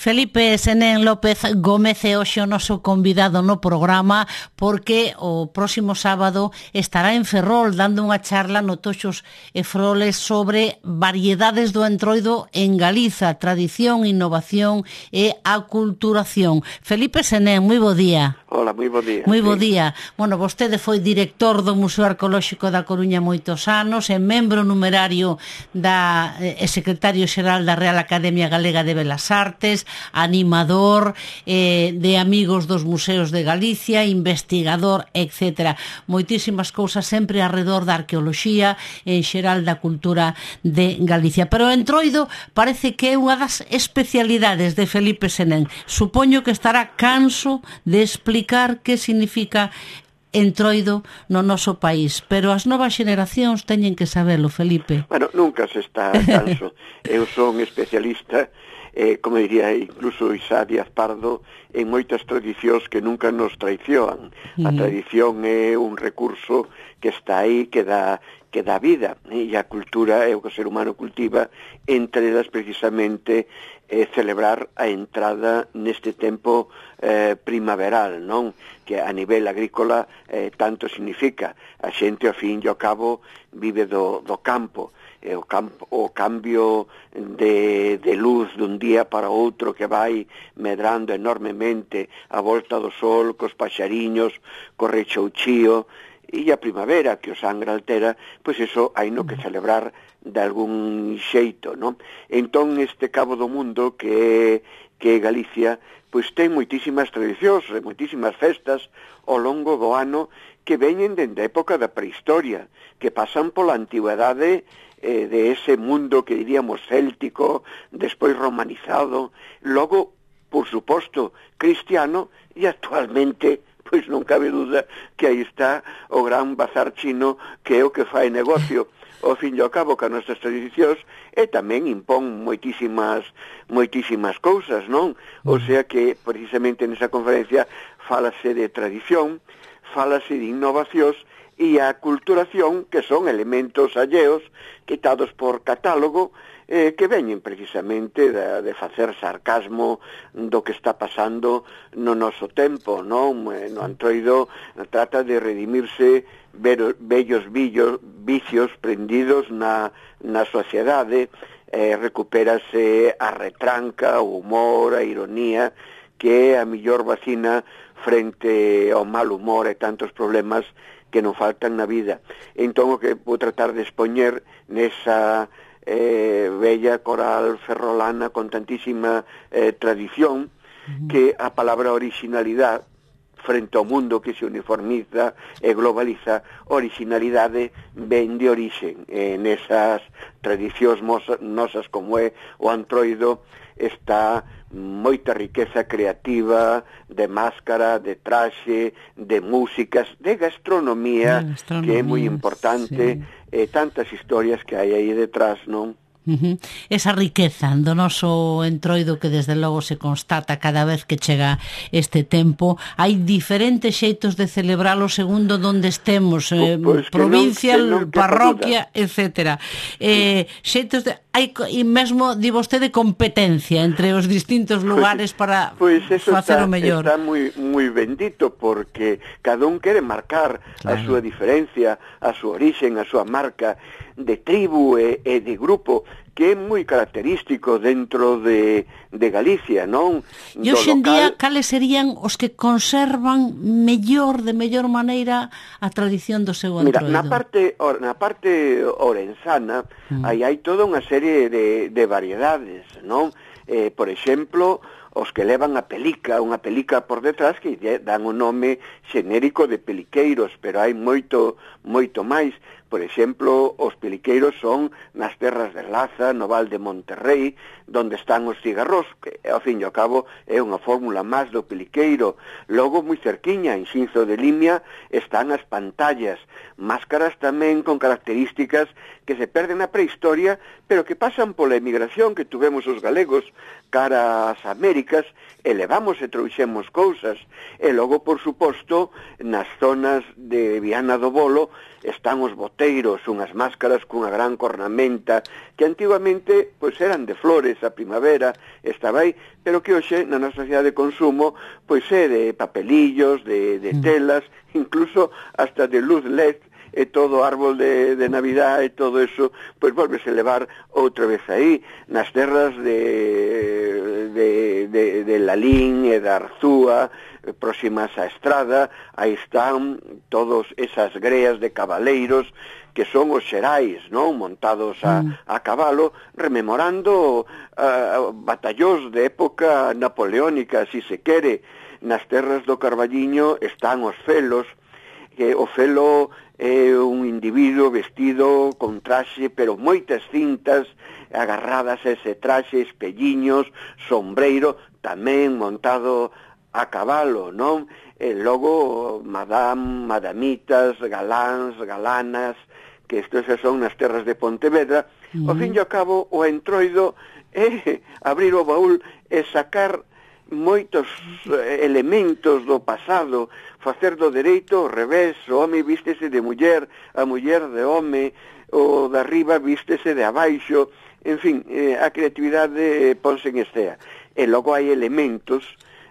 Felipe Senén López Gómez é hoxe o noso convidado no programa porque o próximo sábado estará en Ferrol dando unha charla no Toxos e Froles sobre variedades do entroido en Galiza, tradición, innovación e aculturación. Felipe Senén, moi bo día. Hola, moi bo día. Moi bo día. Bueno, vostede foi director do Museo Arqueolóxico da Coruña moitos anos, é membro numerario e secretario xeral da Real Academia Galega de Belas Artes, animador de Amigos dos Museos de Galicia, investigador, etc. Moitísimas cousas sempre arredor da arqueoloxía e en xeral da cultura de Galicia. Pero o entroido parece que é unha das especialidades de Felipe Senén. Supoño que estará canso de explicar que significa entroido no noso país, pero as novas xeracións teñen que sabelo, Felipe. Bueno, nunca se está canso. Eu son especialista, como diría incluso Isá Díaz Pardo, en moitas tradicións que nunca nos traicionan. A tradición é un recurso que está aí, que dá vida, e a cultura é o que o ser humano cultiva, entre elas precisamente celebrar a entrada neste tempo primaveral, non? Que a nivel agrícola tanto significa. A xente, ao fin e ao cabo, vive do campo. O cambio de luz dun día para outro que vai medrando enormemente a volta do sol, cos paxariños, co rechouchío, e a primavera que o sangra altera, pois iso hai no que celebrar de algún xeito, non? Entón este cabo do mundo que é Galicia, pois ten moitísimas tradicións, moitísimas festas ao longo do ano que veñen dende a época da prehistoria, que pasan pola antigüedade de ese mundo que diríamos céltico, despois romanizado, logo, por suposto, cristiano, e actualmente pois non cabe duda que aí está o gran bazar chino, que é o que fai negocio ao fin e ao cabo que as nosas tradicións, e tamén impón moitísimas cousas, non? O sea que precisamente nesa conferencia fálase de tradición, fálase de innovacións e a culturación, que son elementos alleos quitados por catálogo, que veñen precisamente de facer sarcasmo do que está pasando no noso tempo, non? No entroido trata de redimirse vellos vicios prendidos na sociedade, recupérase a retranca, o humor, a ironía, que é a mellor vacina frente ao mal humor e tantos problemas que non faltan na vida. Entón o que vou tratar de expoñer nesa bella coral ferrolana con tantísima tradición, que a palabra originalidade frente ao mundo que se uniformiza e globaliza, originalidade ven de orixen. Nesas tradicións nosas como é o antroido está moita riqueza creativa, de máscara, de traxe, de músicas, de gastronomía, que é moi importante, sí. Tantas historias que hai aí detrás, non? Esa riqueza do noso entroido que desde logo se constata cada vez que chega este tempo. Hai diferentes xeitos de celebralo segundo onde estemos, pues provincia, parroquia, etc. Xeitos de... Hai mesmo, di vostede, competencia entre os distintos lugares para facer o mellor. Está moi bendito, porque cada un quere marcar a súa diferencia, a súa orixen, a súa marca de tribu e de grupo, que é moi característico dentro de Galicia, non? E hoxe en día, cales serían os que conservan de mellor maneira a tradición do seu entroido? Mira, na parte orensana hai toda unha serie de variedades, non? Por exemplo, os que levan a pelica, unha pelica por detrás que dan o nome xenérico de peliqueiros, pero hai moito máis. Por exemplo, os peliqueiros son nas terras de Laza, no Val de Monterrey, donde están os cigarros, que ao fin e ao cabo é unha fórmula máis do peliqueiro. Logo, moi cerquiña, en Xinzo de Limia, están as pantallas, máscaras tamén con características que se perden na prehistoria, pero que pasan pola emigración que tuvemos os galegos cara ás Américas, e levamos e trouxemos cousas. E logo, por suposto, nas zonas de Viana do Bolo, están os boteiros, unhas máscaras cunha gran cornamenta, que antigamente pois eran de flores, a primavera estaba aí, pero que hoxe na nosa sociedade de consumo pois é de papelillos, de telas, incluso hasta de luz LED, e todo o árbol de Navidad e todo eso, pois volvese a levar outra vez aí, nas terras de Lalín e da Arzúa, próximas á estrada, aí están todos esas greas de cabaleiros que son os xerais, non? Montados a cabalo, rememorando batallós de época napoleónica, si se quere. Nas terras do Carballiño están os felos, que o felo é un individuo vestido con traxe, pero moitas cintas agarradas a ese traxe, espelliños, sombreiro, tamén montado a cabalo, non? E logo madamitas, galáns, galanas, que estes son nas terras de Pontevedra. Ao fin e ao cabo, o entroido é abrir o baúl e sacar moitos elementos do pasado, facer do dereito ao revés, o home vístese de muller, a muller de home, o de arriba vístese de abaixo, en fin, a creatividade ponse en escena. E logo hai elementos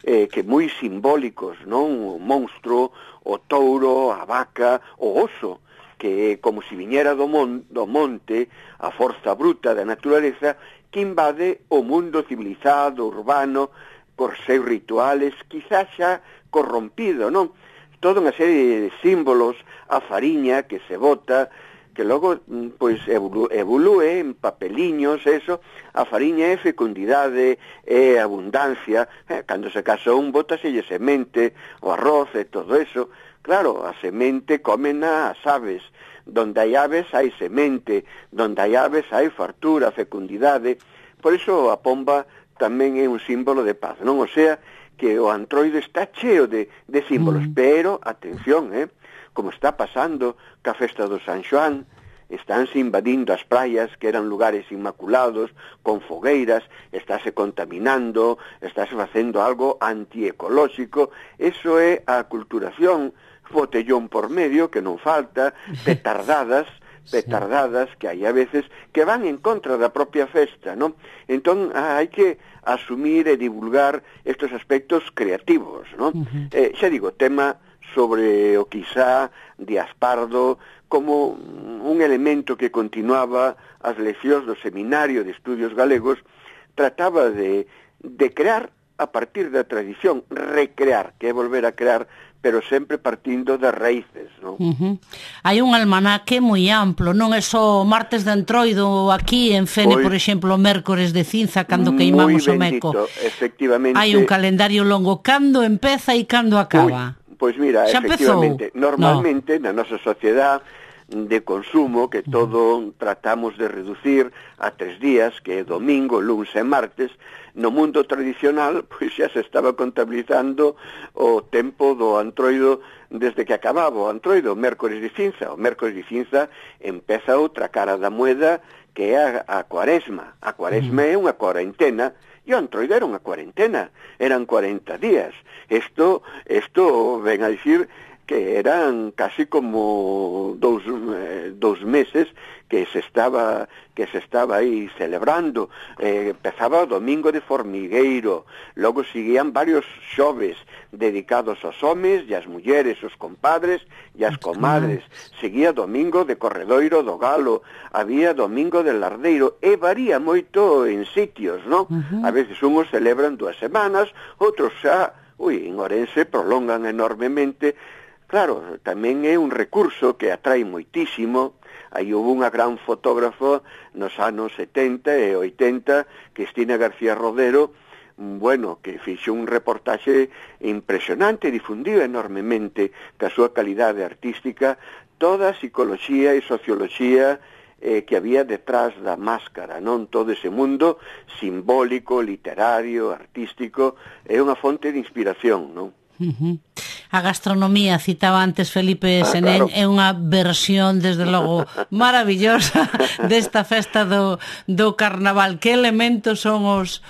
que moi simbólicos, non? O monstro, o touro, a vaca, o oso, que como se viñera do monte, a forza bruta da naturaleza, que invade o mundo civilizado, urbano, por seus rituales, quizás xa corrompido, non? Toda unha serie de símbolos, a fariña que se bota, que logo pois evolúe en papeliños, eso, a fariña é fecundidade, é abundancia, cando se casa un bótaselle semente, o arroz e todo eso, claro, a semente comena as aves, donde hai aves hai semente, donde hai aves hai fartura, fecundidade, por iso a pomba tamén é un símbolo de paz, non? O sea, que o antroido está cheo de símbolos, pero, atención, como está pasando ca festa do San Xoán, estánse invadindo as praias, que eran lugares inmaculados, con fogueiras, estáse contaminando, estáse facendo algo antiecolóxico, eso é a aculturación, botellón por medio, que non falta, petardadas que hai a veces que van en contra da propia festa, non? Entón, hai que asumir e divulgar estes aspectos creativos, non? Xa digo, tema sobre o quizá Díaz Pardo como un elemento que continuaba as leccións do Seminario de Estudios Galegos, trataba de crear a partir da tradición, recrear, que é volver a crear, pero sempre partindo das raíces, non? Hai un almanaque moi amplo, non é só martes de entroido aquí en Fene, por exemplo, mércores de cinza, cando queimamos o meco. Efectivamente. Hai un calendario longo, cando empeza e cando acaba. Pois mira, efectivamente, normalmente na nosa sociedade de consumo, que todo tratamos de reducir a 3 días, que é domingo, luns e martes, no mundo tradicional, pois xa se estaba contabilizando o tempo do antroido desde que acababa o antroido, o mércores de cinza. O mércores de cinza empeza outra cara da moeda, que é a cuaresma. A cuaresma é unha cuarentena, e o antroido era unha cuarentena, eran 40 días. Isto ven a dicir que eran casi como dous meses que se estaba aí celebrando. Empezaba o domingo de formigueiro, logo seguían varios xoves dedicados aos homes e ás mulleres, os compadres e as comadres. Seguía domingo de corredoiro do galo, había domingo de lardeiro, e varía moito en sitios, non? A veces unhos celebran 2 semanas, outros xa, en Orense prolongan enormemente. Claro, tamén é un recurso que atrae moitísimo. Aí houve unha gran fotógrafa nos anos 70 e 80, Cristina García Rodero, que fixo un reportaxe impresionante, difundido enormemente ca súa calidade artística, toda a psicoloxía e socioloxía que había detrás da máscara, non? Todo ese mundo simbólico, literario, artístico, é unha fonte de inspiración, non? A gastronomía, citaba antes Felipe Senén, claro. É unha versión, desde logo, maravillosa desta festa do carnaval. Que elementos son os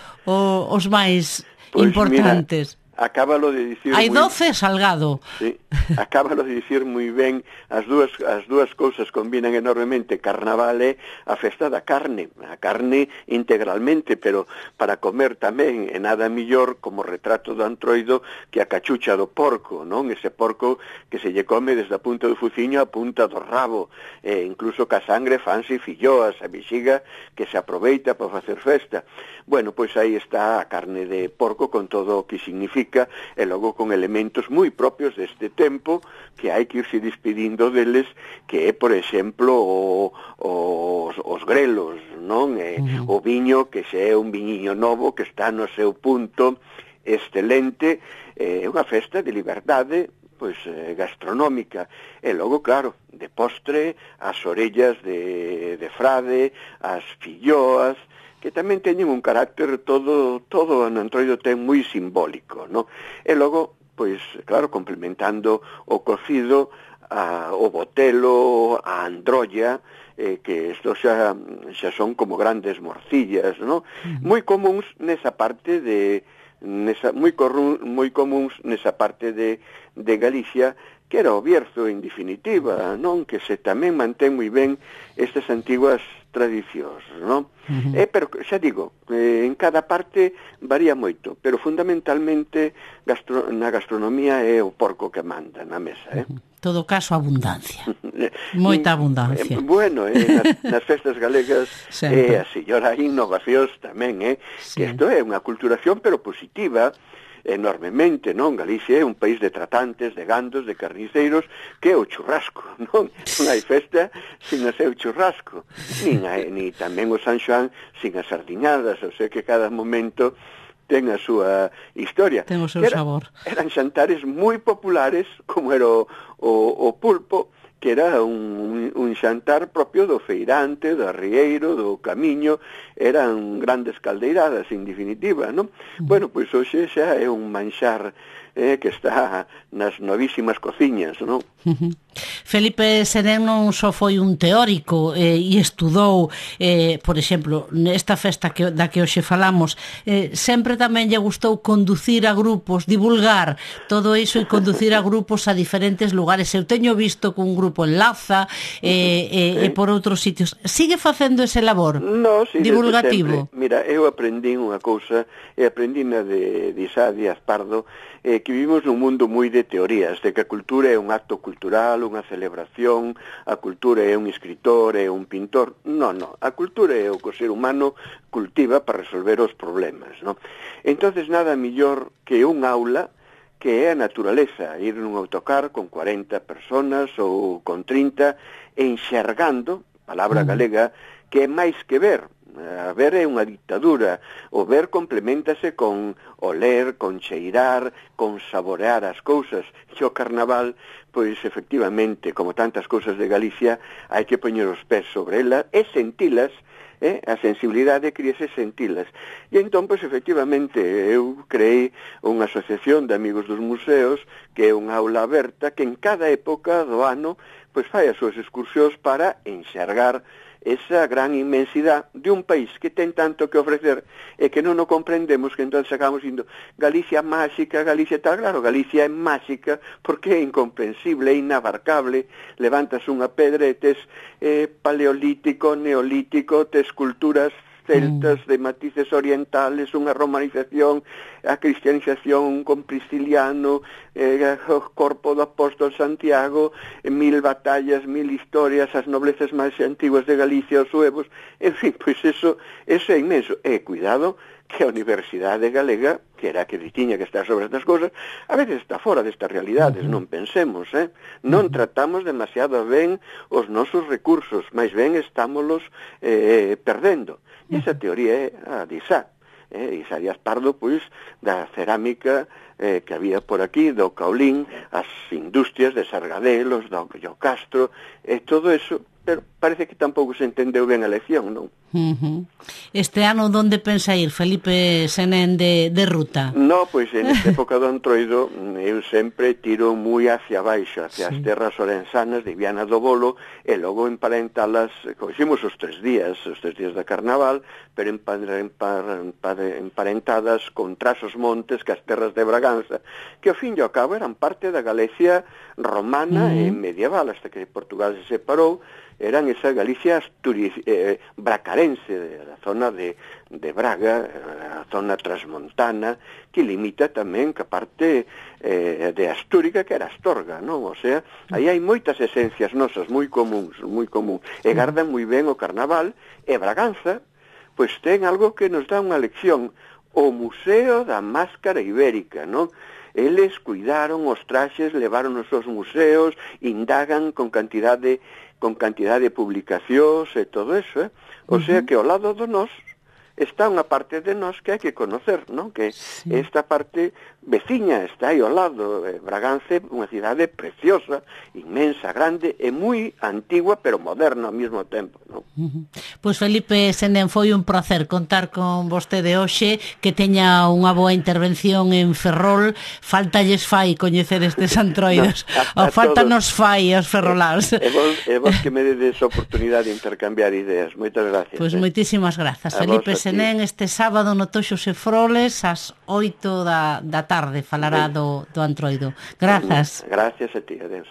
máis importantes? Acábalo de dicir hai 12 salgado. Sí, acábalo de dicir moi ben, as dúas cousas combinan enormemente. Carnaval é a festa da carne, a carne integralmente, pero para comer tamén é nada millor como retrato do antroido que a cachucha do porco, non? Ese porco que se lle come desde a punta do fuciño a punta do rabo, incluso ca sangre fanse filloas, a bexiga que se aproveita para facer festa. Bueno, pois aí está a carne de porco con todo o que significa, e logo con elementos moi propios deste tempo que hai que irse despedindo deles, que é, por exemplo, os grelos, non? O viño, que se é un viñiño novo que está no seu punto excelente, é unha festa de liberdade, pois gastronómica, e logo, claro, de postre, as orellas de frade, as filloas, que tamén teñen un carácter todo no Entroido ten moi simbólico, no? E logo, pois, claro, complementando o cocido, o botelo, a androlla, que isto xa son como grandes morcillas, no? Moi comuns nesa parte moi comuns nesa parte de Galicia, que era o Bierzo en definitiva, non? Que se tamén mantén moi ben estas antiguas tradicións, non? Pero xa digo, en cada parte varía moito, pero fundamentalmente na gastronomía é o porco que manda na mesa, Todo caso, abundancia. Moita abundancia. Bueno, nas festas galegas é así. E ora hai innovacións tamén, sí. Que isto é unha culturación, pero positiva, enormemente, non? Galicia é un país de tratantes, de gandos, de carniceiros, que é o churrasco, non? Non hai festa sin o seu churrasco, ni tamén o San Xoán sin as sardiñadas, o sea que cada momento ten a súa historia. Ten o seu sabor. Eran xantares moi populares, como era o pulpo, que era un xantar propio do feirante, do arrieiro, do camiño, eran grandes caldeiradas, en definitiva, non? Bueno, pois hoxe xa é un manxar que está nas novísimas cociñas, non? Felipe Serén non só foi un teórico e estudou, por exemplo, nesta festa da que hoxe falamos, sempre tamén lle gustou conducir a grupos, divulgar todo iso e conducir a grupos a diferentes lugares. Eu teño visto que un grupo en Laza e por outros sitios. Sigue facendo ese labor divulgativo? Mira, eu aprendín unha cousa, e aprendín de Isá Díaz Pardo, que vivimos nun mundo moi de teorías, de que a cultura é un acto cultural, unha celebración, a cultura é un escritor, é un pintor. Non, a cultura é o que o ser humano cultiva para resolver os problemas, non? Entonces, nada millor que un aula, que é a naturaleza, ir nun autocar con 40 personas ou con 30, enxergando, palabra galega, que é máis que ver. A ver é unha dictadura, o ver complementase con oler, con cheirar, con saborear as cousas. E o carnaval, pois efectivamente, como tantas cousas de Galicia, hai que poñer os pés sobre ela e sentilas, a sensibilidade queríase sentilas. E entón, pois efectivamente, eu creei unha asociación de amigos dos museos, que é unha aula aberta, que en cada época do ano, pois fai as súas excursións para enxergar esa gran inmensidade de un país que ten tanto que ofrecer e que non o comprendemos, que entón acabamos indo Galicia máxica, Galicia tal. Claro, Galicia é máxica porque é incomprensible, é inabarcable. Levantas unha pedra e tes paleolítico, neolítico, tes culturas celtas de matices orientales, unha romanización, a cristianización con Prisciliano, o corpo do apóstol Santiago, 1000 batallas, 1000 historias, as noblezas máis antiguas de Galicia, os suevos, en fin, pois eso é inmenso. E cuidado que a Universidade Galega, que era a que tiña que estar sobre estas cousas, a veces está fora destas realidades, non pensemos, non tratamos demasiado ben os nosos recursos, máis ben estámolos perdendo. E esa teoría é a de Isá. Isá Díaz Pardo, pois, da cerámica que había por aquí, do caolín, as industrias de Sargadelos, do Castro, e todo eso, pero parece que tampouco se entendeu ben a lección, non? Este ano onde pensa ir, Felipe Senén, de ruta? No, pois en esta época do Antroido eu sempre tiro moi hacia baixo, hacia as terras orensanas de Viana do Bolo, e logo emparentalas, coximos os 3 días de Carnaval, pero emparentadas con Trasos Montes, que as terras de Braganza, que ao fin e ao cabo eran parte da Galicia romana e medieval, hasta que Portugal se separou. Eran esa Galicia bracarense, a zona de Braga, a zona transmontana, que limita tamén ca parte de Astúrica, que era Astorga, non? O sea, aí hai moitas esencias nosas moi comuns, e gardan moi ben o Carnaval, e Braganza, pois ten algo que nos dá unha lección, o Museo da Máscara Ibérica, non? Eles cuidaron os traxes, levaron os seus museos, indagan con cantidad de publicacións e todo eso, O sea que ao lado do nós está unha parte de nós que hai que conocer, non? Que esta parte veciña está aí ao lado. Braganza é unha cidade preciosa, inmensa, grande e moi antigua, pero moderna ao mesmo tempo, non? Pois Felipe Senén, foi un placer contar con vostede hoxe, que teña unha boa intervención en Ferrol. Faltalles fai coñecer estes antroidos, o falta nos fai aos ferroláns. E vos que me dedes a oportunidade de intercambiar ideas. Moitas gracias. Pois moitísimas grazas, Felipe Senén. Este sábado no Toxos e Froles ás 8 da tarde falará do Antroido. Grazas. Gracias a ti, adeus.